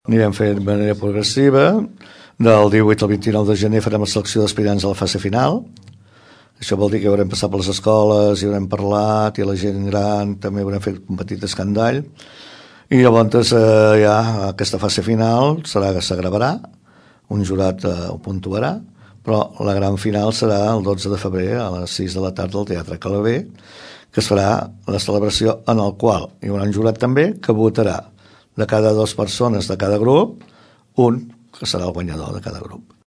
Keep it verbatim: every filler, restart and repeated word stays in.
anirem fent de manera progressiva. Del divuit al vint-i-nou de gener farem la selecció d'aspirants a la fase final. Això vol dir que haurem passat per les escoles, hi haurem parlat, i la gent gran també haurem fet un petit escandall. I llavors eh, ja aquesta fase final serà que s'agravarà, un jurat eh, ho puntuarà, però la gran final serà el dotze de febrer a les sis de la tarda al Teatre Calaver, que es farà la celebració en el qual hi haurà un jurat també que votarà de cada dues persones de cada grup un que serà el guanyador de cada grup.